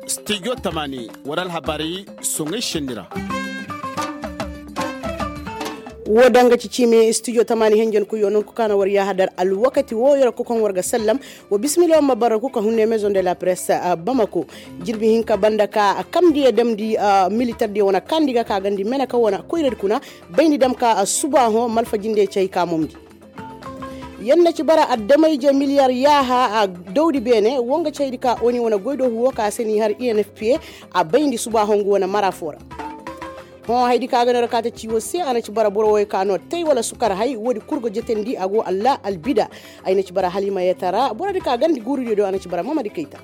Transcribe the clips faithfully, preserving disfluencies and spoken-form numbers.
Studio tamani wara alhabaari soŋay senni ra. Woo daŋ ga ci ciimi studio tamani henjen kuyo nonku kaana war yaahadar alwakati woo yara kukaŋ war ga sallam. Wa bisimila wa ma barra kuka hunne maison de la presse bamako. Jirbi hinka banda ka kamndi ya damndi militar diya wane kandi ga ka gandi mena ka wane koyradi kuna. Bayndi dam ka suba hõ malfa jinde cay ka momndi. Yer na ci bara addamayje miliyar yaaha a dawdi beene wo nga caydi ka oni wane goydoohu wo ka se n'i har i n f p a bayndi suba hongu wane mara foo ra. Hõ haydi ka ga no ra ka ta ci wo se a na ci bara boro woy ka no tay wala sukar hay woodi kul go jetendi a go allah albida. Ay na ci bara halima yeta ra borodi ka gandi guurudiyo do a na ci bara mamadi kayta.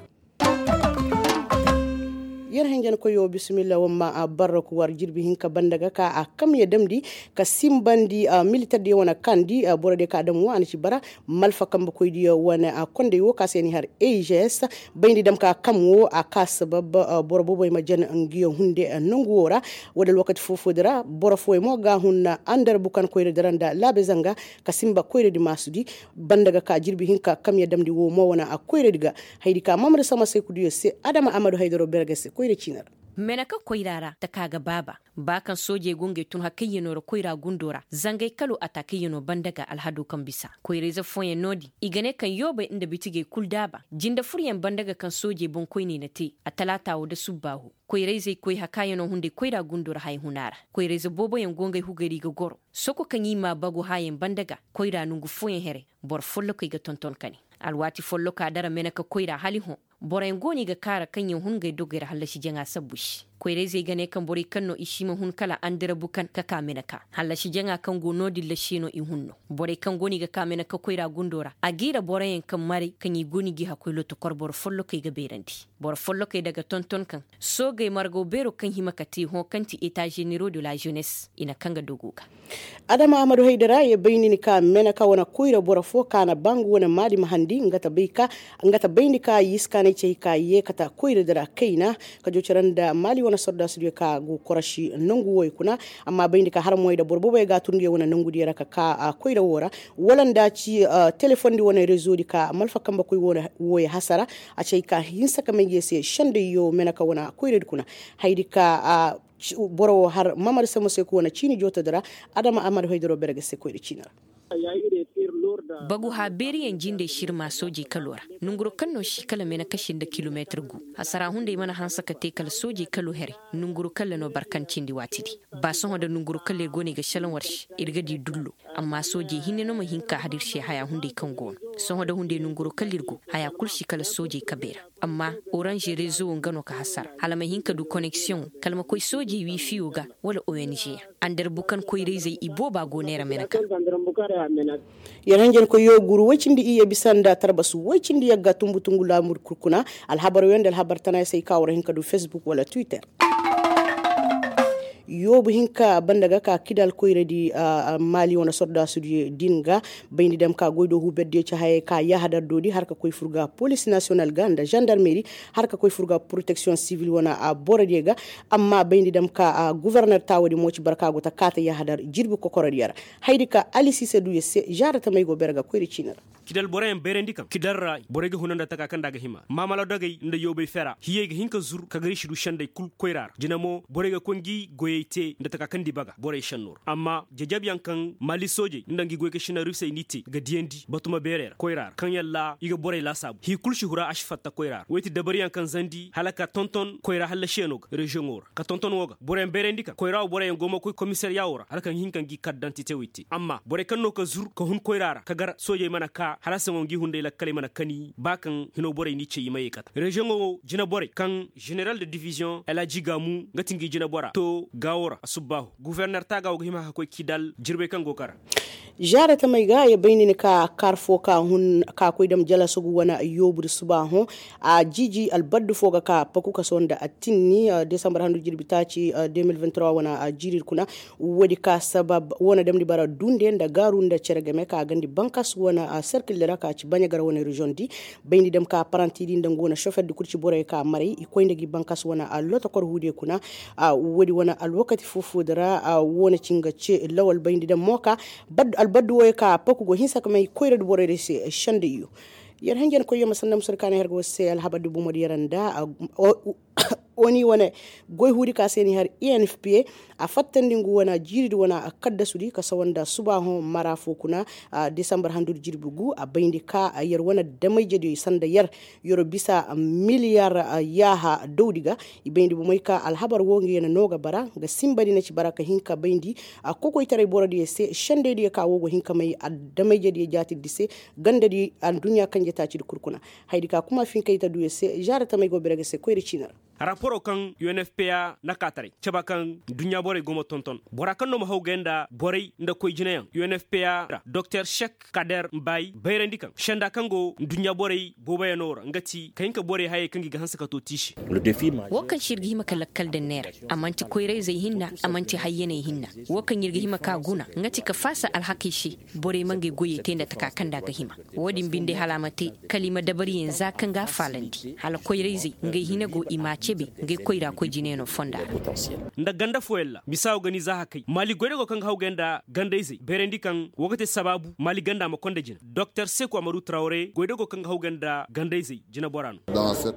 Yer henjen koyo bisimilla wamma barra ku war jirbi hinka banda ga ka a kam ya damndi ka simbandi militar diya wane kandi boro diya ka dam wo a na ci bara. Malfa kambe koy diya wane kondey wo ka se ni har a g s bayndi dam ka kam wo a ka sabab boro boboy ma jan ngiyo hunde nangu wo ra. Wala alwakati foo-foodi ra boro fooyo mo ga hun andar bukan koyradi ra nda laabe zanga ka simba koyradi maasudi. Banda ga ka jirbi hinka kam ya damndi wo mo wane koyradi ga. Haydi ka mamadu sama saykudiyo se adama amadu haydaro berge se koyra ciina ra. Mena ka koyra ra taka ga baaba ba kaŋ soojey go ngey tun hakayyanoo ra koyra gundo ra zangay kalo a ta kayyano banda ga alhado kaŋ bisa koyrayze fooyaŋ no-din i ga ne kaŋ yoobey nda bitigey kul daaba jinde furyaŋ banda ga kaŋ soojey boŋkoyney na te a talaata wo nda subbaahu. Koyrayzey koy hakaayanoo hunday koyra gundo ra haya huna ra. Koyrayze booboyaŋ go ngey hugey ra i ga goro soko kaŋ i ma bagu haayaŋ banda ga koyra nongu fooyaŋ here. Boro follokey ga tonton ka ne alwaati folloka dara mene ka koyra hala i hõ. Boroyaŋ go no i ga kaara kaŋ yaŋ hun ngey dogey ra hallasi jaŋa sabbu se. Koyrayzey ga ne kaŋ borey kaŋ no i si ma hun kala andarabu kaŋ ka ka mene ka hallasi jaŋa kaŋ go no-din lasiye no i hun no. Borey kaŋ go no i ga ka mene ka koyra gundo ra a g'i ra boroyaŋ kaŋ maray kaŋ i go no i g'i hakkoy lotokor boro follokey ga beerandi. Boro follokey daga tonton kaŋ soogey margaw beero kaŋ hima ka te hõ kaŋ ti eta ženero de la jenes i na kaŋ ga dogo ga. Adama ahmadu haydara ye bay ni ni ka mena ka wane koyra boro fo ka na ba ngu wane maadi ma handi nga ta bay ka nga ta bay ni ka yiskaanay cey ka ye kata koyradi ra kayna. Ka joocira nda maali wane sordaasudiyo ka go korosi nangu woy kuna. Amma bay ni ka har moy da boro boboy ga a tur ngi wane nangudiyo ra ka ka koyra wo ra wala nda ci telefondi wane rezodi ka malfa kamba koy woy hasara. A cey ka hinsa ka may ge se sendayyo mena ka wane koyradi kuna. Haydi ka boro wo har mamar sama se ko wane ciini jootodi ra. Adama ahmadu haydaro bere ga se koyra ciini ra. Bagu haabeeriyaŋ jindey sirma soojey kalo ra. Nanguro kaŋ no si kala mena kasi nda kilomeetir gu. Hasara hunday mana hanse ka te kala soojey kalo here. Nanguro kaŋ ra no barkan cindi waatidi. Ba sohõ nda nanguro kaŋ ra ir go no ir ga šelaŋ war se ir ga di dullo. Amma soojey hinne no ma hin ka har ir se haya hunday kaŋ go no. Sohõ nda hunday nanguro kaŋ ra ir go haya kul si kala soojey kabey ra. Amma oranž rezo wo nga no ka hasara hala ma hin ka du koneksiyoŋo kala ma koy soojey wiifiyo ga. Wala ong yaŋ andar bukan koyrayzey ibooba go neera mena ka. Yer hanjankoyyo guru woy cindi iyye bisa nda tarbasu woy cindi yagga tumbu tungu laamur kul kuna. Alhabar woy nda alhabar tana ya say ka war hin ka du facebook wala twitter. Yoobu hinka banda ga ka kidal koyradi. Maali wane sordaasudi din ga bayndi dam ka goy do huberdiyo ci hayey ka yahadar doodi har ka koy fur ga polis nasiyonal ga nda zandarmeri har ka koy fur ga poroteksiyoŋ sivil wane borodiyo ga. Amma bayndi dam ka guverner taawadi mo ci barka go ta kaata yahadar jirbi kokorodiyo ra. Haydi ka ali siise du yer se zaara tamey go bere ga koyri ciini ra. Kidal boroyaŋ bayrandi kaŋ kidal ra borey ga huna nda taka kaŋ nda a ga hima maamala dogey nda yoobey fera hiyey ga hin ka zur ka gari si du sendey kul koyra ra jina mo borey ga koy ngi goyey te nda taka kaŋ nda i baga borey senno ra amma jajabyaŋ kaŋ maali soojey nda ngi goy ga sina rusey n'i te ga diyandi batuma beerey ra koyra ra kaŋ yalla i ga borey laasaabu hii kul si hura a si fatta koyra ra woy ti dabaryaŋ kaŋ zandi hala ka tonton koyra hallasiyaŋo ga reziyoŋo ra ka tonton wo ga boroyaŋ bayrandi kaŋ koyra wo boroyaŋ go ma koy komisariya wo ra hala kaŋ hin ka ngi kardantite wey te amma borey kaŋ no ka zur ka hun koyra ra ka gar soojey mana ka hala saŋo ngi hunday lakkaley mana kani ba kaŋ hino borey n'i cey i ma ye kata reziyoŋo wo jina borey kaŋ zeneral de diviziyoŋ elhaji gaamu nga ti ngi jina bora to gaawo ra a subbaahu guverner taaga wo ga hima ka koy kidal jirbey kaŋ go ga ra. Zaara tamey ga ya bay ni ni ka kaar fo ka hun ka koy dam jalasogu wane yoobudi suba hõ. A jiiji albaddu fo ga ka paku kaso nda attinni desambar handu jirbi taaci de mil vingt trois wane jiiridi kuna. Woodi ka sabab wane damndi bara dunde nda gaaru nda cere game ka gandi bankas wane. killa ra ka ci baɲa gar wane reziyoŋ di. Bayndi dam ka paranti di nda nga wane sofer di kul ci borey ka maray i koy nda gi bankas wane lotokor huudiyo kuna. Woodi wane alwakati foo-foo di ra, wo na ci nga ce lawal bayndi dam mo ka albaddu wooyo ka paku go hinsa ka may koyra di borey di se senda iyo. Yer hanjan koyyo ma sanda musur kaani har ga war se alhabar di bomo di yer nda oni wane goy huudi ka se ni har i n f p a fattandi ngu wane jiiri di wane kaddasudi ka sawa nda suba hõ mara foo kuna. Disambar handudi jirbi gu a bayndi ka yer wane damayjediyo i sanda yer yero bisa miliyar yaaha dawdi ga. I bayndi bomey ka alhabar woo nga yer na noo ga bara nga sinba di na ci bara ka hin ka bayndi kokoytaray borodiyo se sendeydiyo ka woo go hin ka may addamayjediyo jaatidi se gandadi adduɲɲa kanje taacidi kul kuna. Hayadi ka kuma finkayta duyo se zaara tamey go bere ga se koyra ciini ra. Raporo kaŋ u n f p a na kaataray caba kaŋ duɲɲa borey go ma tonton bora kaŋ no ma hawgay nda borey nda koy jinayaŋ u n f p a ra doktor sek kader mbaay bayrandi kaŋ senda kaŋ go duɲɲa borey booboyanoo ra nga ti ka hin ka borey hayey kaŋ gi ga hanse ka to tiise. Wo kaŋ se ir ga hima ka lakkal daŋ neera a man'ti koyrayzey hinna a man'ti hayyaney hinna. Wo kaŋ ir ga hima ka guna nga ti ka faasa alhakey se borey ma ngey goyey te nda taka kaŋ nda a ga hima. Wo-din binde hala a ma te kala i ma dabariyaŋ za kaŋ ga a faalandi hala koyrayzey ngey hina go i m'a cebe ngey koyra koy jinayaŋo fonda ra. Nda ganda fooyaŋ ra misa wo ga ni za hakay maali goydago kaŋ ga hawgay nda gandayzey bayrandi kaŋ wo ga te sabaabu maali ganda ma konda jina doktor seku amadu trawre goydago kaŋ ga hawgay nda gandayzey jinebora no.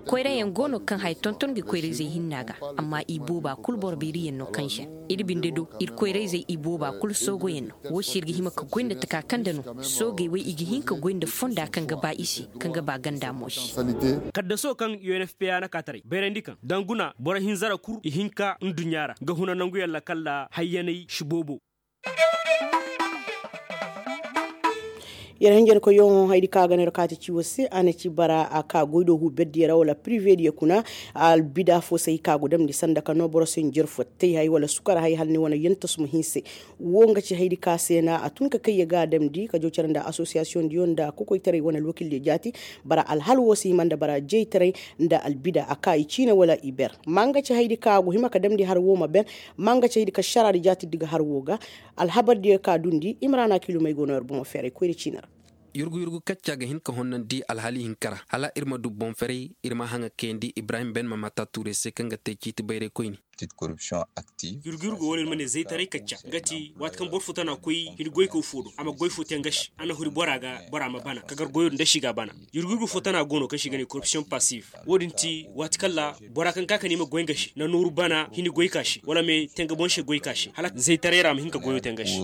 Koyrayaŋ go no kaŋ haya tonton ga koyrayzey hinna ga amma i booba kul boro beeriyaŋ no kaŋ žen ir binde do ir koyrayzey i booba kul soogoyaŋ no. Wo se ir ga hima ka goy nda taka kaŋ nda no soogey wey i ga hin ka goy nda fonda kaŋ ga ba i se kaŋ ga ba ganda mo se. Kaddaso kaŋ u n f p a na kaataray bayrandi kaŋ danguna boro hinza ra kul i hinka nduɲɲa ra ga huna nanguyaŋ ra kalla hayyaney si boobo. Yer hanjankoyyaŋo hayadi kaŋ a ga no yer kaati ciwo se a na ci bara a ka goy do huu berdiyo ra wala pirive diyo kuna. Albida fo se hay ka go damndi sanda ka no boro se njer fo tey hay wala sukar hay hala ni wane yentas ma hinse. Wo nga ci hayadi ka se na a tun ka kayya ga a damndi ka jaw care nda asosiyasiyoŋ diyo nda kokoytaray wane alwakildiyo jaati. Bara alhal wo se hima nda bara jeytaray nda albida a ka i ciine wala i ber. Ma nga ci hayadi ka go hima ka damndi har wo ma ben. Ma nga ci hayadi ka šaraadi jaatiddi ga har wo ga. Alhabardiyo ka dundi imrana kilumey go no yer bomo feeray koyri ciini ra. Yurgu yurgu kacca ga hin ka honnandi alhali hinka ra hala ir ma du boŋ feray. Ir ma haŋa kayandi ibrahim ben ma mata tuure se kaŋ ga te ciiti bayraykoyni. Yurgu yurgu wo no ir ma ne zaytaray kacca nga ti waati kaŋ boro fo tana koy hin goykaw fo do a ma goy fo te nga se a na huri bora ga bora ma bana ka gar goyo nda si ga a bana. Yurgu yurgu fo tana go no kaŋ se i ga ne korupsiyoŋ pasiv. Wo-din ti waati kaŋ ra bora kaŋ ka ka ne i ma goy nga se na nooru bana hini goyka se wala me te nga boŋ se goyka se hala zaytaray ra a ma hin ka goyo te nga se.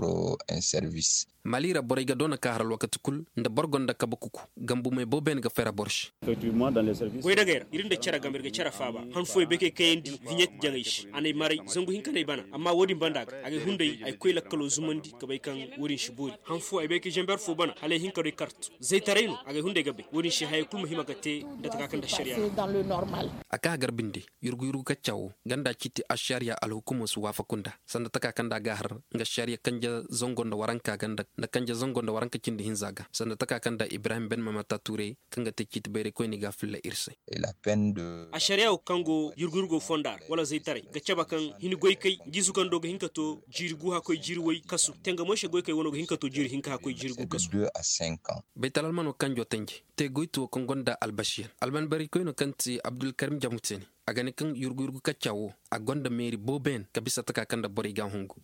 Mali ra borey ga doona ka har alwakati kul nda boro gonda kabe kuku. Gambumey boobo yaŋ ga fera boro se. Goydagey ra ir nda care game ir ga care faaba han fooyaŋ bay kay kayandi viɲet jaŋey se a n'ay maray zangu hinka n'ay bana amma wo-din banda ga agay hunday ay koy lakkalo zumandi ka bay kaŋ wo-din si boori han fooyaŋ ay bay kay zamber fo bana hala ay hin ka doy kartu zaytaray no agay hunday ga bay wo-din se hayey kul ma hima ga te. Nda taka kaŋ nda ašariya. A ka hagar binde yurgu yurgu kacca wo ganda ciiti ašariya alhukumo si waafaku nda sanda taka kaŋ nda a ga a har nga ašariya kanje zango nda waranka ganda nda kanje zango nda waranka cindi hinza ga sanda taka kaŋ nda ibrahim ben mamata tuure kaŋ ga te ciiti bayraykoyni ga a filla ir se. Ašariya wo kaŋ go yurgu yurgo fonda ra wala zaytaray ga cabe kaŋ hini goykay ngi izu kaŋ do ga hin ka to jiiri gu hakkoy jiiri way kasu tenga moy se goykay wano ga hin ka to jiiri hinka hakkoy jiiri gu kasu. Baytal almano kanjo tenje te goytu wo kaŋ gonda albasiyan alman bayraykoyno kaŋ ti abdulkarim jamuteni a ga ne kaŋ yurgu yurgu kacca wo a gonda meeri boobo yaŋ ka bisa taka kaŋ nda borey ga a hungu.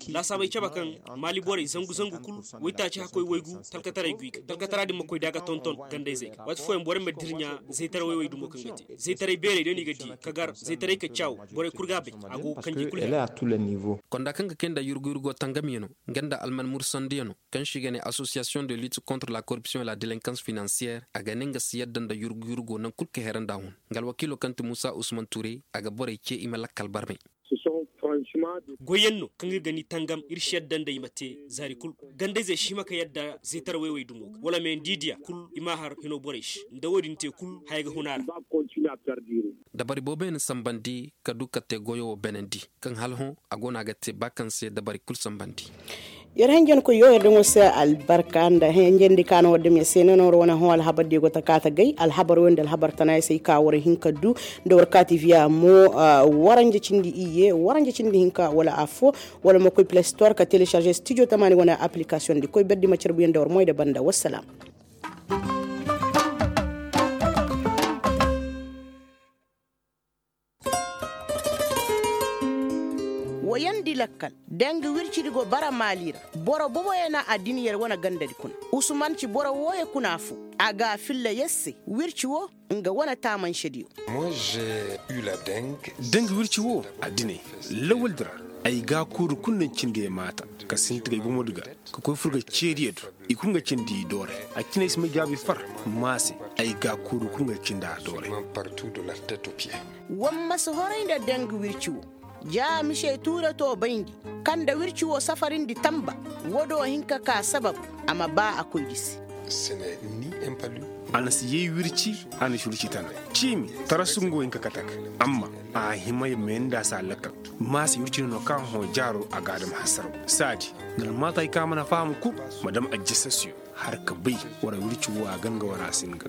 Laasaabey cabe kaŋ maali borey zangu zangu kul waytaaci hakkoy waygu talkataray go i ga talkatara din ma koy da a ga tonton gandayzey ga waati fooyaŋ borey ma dirɲa zaytaray wayway dumo kaŋ ga te zaytaray beerey da no i ga di ka gar zaytaray ka caaw borey kul ga a bay. A go kanji kul. Konda kaŋ ga kay nda yurgu yurgo tangamiyaŋo nga nda alman mursandiyano kaŋ se i ga ne association de lutte contre la corruption et la délinquance financière a ga ne nga si yadda nda yurgu yurgo naŋ kul ka herandi a hun. Nga alwakiilo kaŋ ti muusa usman ture a ga borey ce i ma lakkal barmay. Goyyaŋ no kaŋ ir ga ni tangam ir si yadda nda i ma te zaari kul. Gandayzey si hima ka yadda zeetara wayway dumo ga wala me nda i diya kul i m'a har hino borey se nda wo-din te kul haya ga hun a ra. Dabari boobo yaŋ na sambandi ka du ka te goyo wo beenandi kaŋ hala hõ a go no a ga te ba kaŋ se dabari kul sambandi. Yer henjenkoyyo yer daŋo se albarka nda henjendi ka no war dam yer se ne no war wane hõ alhabar diyo go ta ka ta gay alhabar wo nda alhabar tana yer se i ka war hin ka du nda war ka tiviya mo. Waranje cindi iyye waranje cindi hinka wala affo wala ma koy play store ka télécharger studio tamaani wane application di koy berdi ma carbuyaŋ nda war moy da banda wassalam. Woyandi lakkal danga wircidi go bara maali ra. Boro boboyo na a din yer wane gandadi kuna. Usuman ci boro wooyo kuna fo. A ga a filla yer se wirci wo nga wane taamansediyo. Danga wirci wo a dinay lawaldi ra. Ay ga a kuuru kulu na ni cindi ye maata ka sinti ga ay bomodi ga ka koy fur ga ceediyo do. I kulu nga cindi i doore. A cine ay si may jaabi far maase. Ay ga a kuuru kulu nga cindi a doore. War ma si horay nda danga wirci wo. Ja mise tuure to bayndi kaŋ nda wirci wo safarindi tamba. Wo do hin ka ka sabab a ma ba a koydi se. A na si yay wirci. A na si wirci tana ciimi tarasu nga wo hin ka kate ga. Amma a hima ya may nda a si a lakkal. Maase wirci no no kaŋ hõ jaaro a ga a dam hasaraw saadi. Nda almaatay kaŋ a mana faham kul ma dam ajjasasiyo. Har ka bay wara wirci wo a ganga wara a si nga.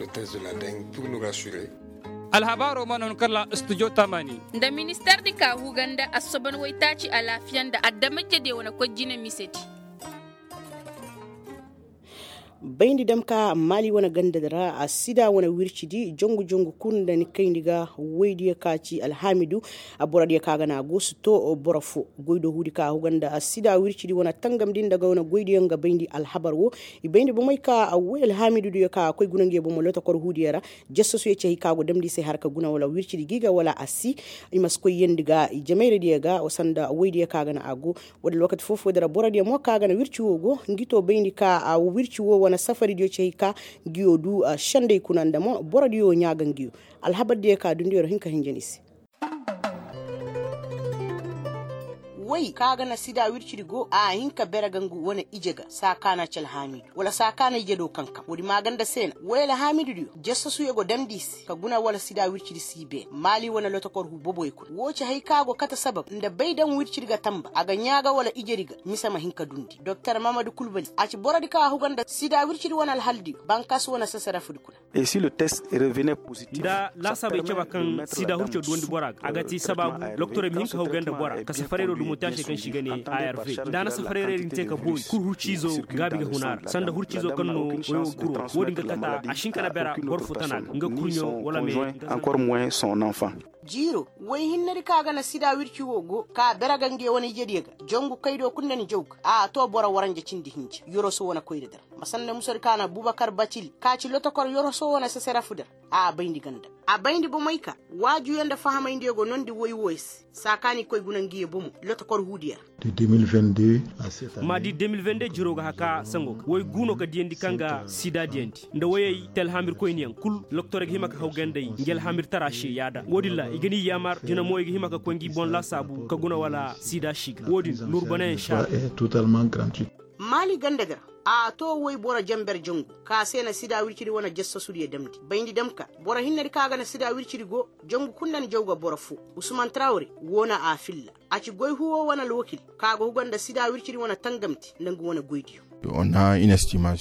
Alhabaaro mana hun kala studio tamani. Nda minister di ka huga nda assoban waytaaci alaafiya nda adama jede wane koy jine misedi. Bayndi dam ka maali wane ganda di ra a sida wane wircidi jongu jongu kul nda ni kayndi ga. Waydiyo ka ci alhaamidu a borodiyo ka ga na a go si to boro fo. Goy do huudi ka a huga nda a sida wircidi wane tangamdi nda ga wane goydiyo nga bayndi alhabar wo. I bayndi bomey ka a woy alhaamidu diyo ka a koy guna nga ye bomo lotokor huudiyo ra. Jasasuyo ci hay ka go damndi i se har ka guna wala wircidi gi ga wala a si. I ma si koy yeendi ga i jamayra diyo ga sanda woydiyo ka ga na a go. Wala alwakati foo-foo di ra borodiyo mo ka ga na wirci wo go ngi to bayndi ka wirci wo wane safaridiyo ci hay ka ngi yo du. Sendey kuna nda mo borodiyo ɲaa ga ngi yo. Alhabardiyo ka dundi yer hin ka hinja ni se. Woy ka ga na sida wircidi go a hin ka bere ga ngu wane ije ga saa ka na ci alhaamidu wala saa ka na ije do kankam woodi maaganda se na woy alhaamidudiyo jasasuyo go damndi i se ka guna wala sida wircidi si beene maali wane lotokor huu boboyo kuna woo ci hay ka go kate sabab nda bay daŋ wircidi ga tamba a ga ɲaa ga wala ijedi ga mise ma hin ka dundi doktor mamadu kulbali a ci borodi ka huga nda sida wircidi wane alhaldiyo bankas wane sesarefudi kuna. Nda laasaabey caba kaŋ sida hurco duwandi bora ga a ga ti sabaabu loktorey ma hin ka hawgay nda bora ka safarayro dumo te a se kaŋ se i ga ne arv nda a na safarayro din te ka boori kul hurciizo gaabi ga huna ra sanda hurciizo kaŋ no woy wo kuro wo-din ga kata a si hin ka na bera boro fo tana ga nga kurɲo wala me. Jiiro woy hinnedi kaŋ a ga na sida wirci wo go ka bere ga nga ye wane ijediyo ga jangu kaydo kul nda ni jaw ga a to boro waranja cindi hinja yoroso wane koyra di ra ma sanda musodi kaŋ a na bubakar bacili ka ci lotokor yoroso wane seseref di ra. A bayndi ganda a bayndi bomey ka waajuyo nda fahamayndiyo go nondi woy wooyo se saa ka ni koy guna nga ye bomo lotokor huudiyo ra. Ma di de mil vende jiroo ga haka sango ga woy gu no ka diyandi kaŋ ga sida diyandi nda woyey te alhamirkoyniyaŋ kul loktorey ga hima ka haw gandey ngi alhamirtara se yaada wo-din ra i ga ni yaamar jina mo i ga hima ka koy ngi boŋ laasaabu ka guna wala sida si ga wo-din nurbanayaŋ se a. Maali ganda ga ra a to woy boro jenber jangu ka se na sida wircidi wane jassasudiyo damndi bayndi dam ka boro hinnedi kaŋ a ga na sida wircidi go jangu kul nda ni jaw ga boro foo usman trawre woo na a filla a ci goy huwo wane alwakil kaŋ a ga huga nda sida wircidi wane tangamte nda nga wane goydiyo.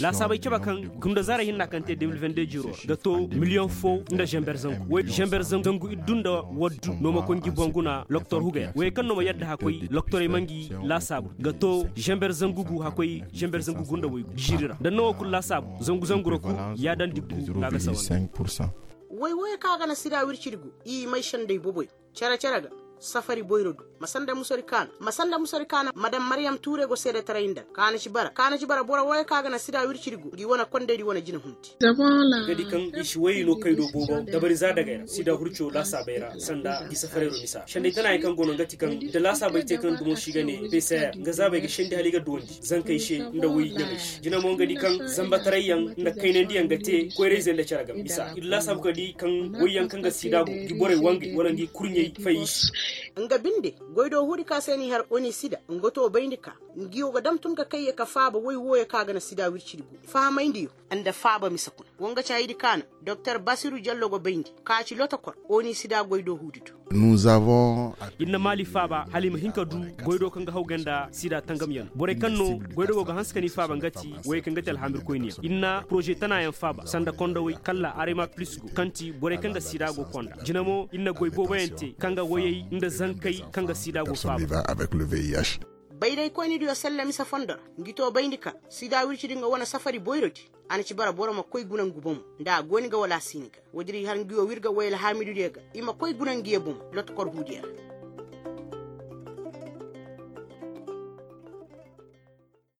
Laasaabey cabe kaŋ gunda zaarey hinna kaŋ te de mil vende jiro ra ga to miliyoŋ foo nda zenber zangu woy zenber zangu iddu nda waddu no ma koy ngi boŋ guna loktor hugay ra woyey kaŋ no ma yadda hakoy loktorey ma ngi laasaabu ga to zenber zangu gu hakoy zenber zangu gu nda woy gu jiiri ra nda no wo kulu laasaabu zangu zangu ra kul yaadandi gu no a ga sawa nda. Woy woyey kaŋ a ga na sida wircidi gu i may sendey boboy. Cere-cere ga safari boyro du ma sanda musori kaana ma sanda musori kaana madam mariyam tuure go seedetaray nda kaana ci bara kaana ci bara boro wooyo kaŋ a ga na sida wircidi go ngi wane kondaydi wane jina hunti. Ga di kaŋ i si woyey no kaydo boobo dabari za dagay ra sida hurco laasaabey ra sanda ngi safarayro misa sendey tana yaŋ kaŋ go no nga ti kaŋ da laasaabey te kaŋ dumo si ga ne pcr nga zaabey ga sendi hala i ga duwandi zankey se nda woy ɲamey se jina mo nga di kaŋ zambataray yaŋ nda kaynandi yaŋ ga te koyrayze nda cere ga misa i di laasaabu ka di kaŋ woy yaŋ kaŋ ga sida go ngi borey wangey wala ngi kurɲey fay i se. Nga binde, goydoo huudi ka se n'i har oni sida nga too bayndi ka, ngi wo ga dam tun ka kayye ka faaba woy wooyo ka ga na sida wircidi goy fahamayndi yo, nda faaba mise kuna. Wo nga ci haydi ka na doktor basiru jallo go bayndi, ka ci lotokor oni sida goydoo huudi do. Ir na maali faaba hala i ma hin ka du goydoo kaŋ ga hawgay nda sida tangamyaŋ borey kaŋ no goydoo go ga hanse ka n'i faaba nga ti woyey kaŋ ga ti alhamirkoyniyaŋ ir na poroze tanaayaŋ faaba sanda kondowey kalla arema pilis go kaŋ ti borey kaŋ ga sida go konda jina mo ir na goy booboyaŋ te kaŋ ga woyey nda zankey kaŋ ga sida go faaba. Bayraykoynidiyo sella mise fondo ra ngi too bayndi ka sida wircidi nga wane safari boyrodi. A na ci bara boro ma koy guna ngu bomo nda a gooni ga wala a si ni ga woodin ir har ngi wo w'ir ga woy alhaamididiyo ga i ma koy guna ngi ye bomo lotokor huudiyo ra.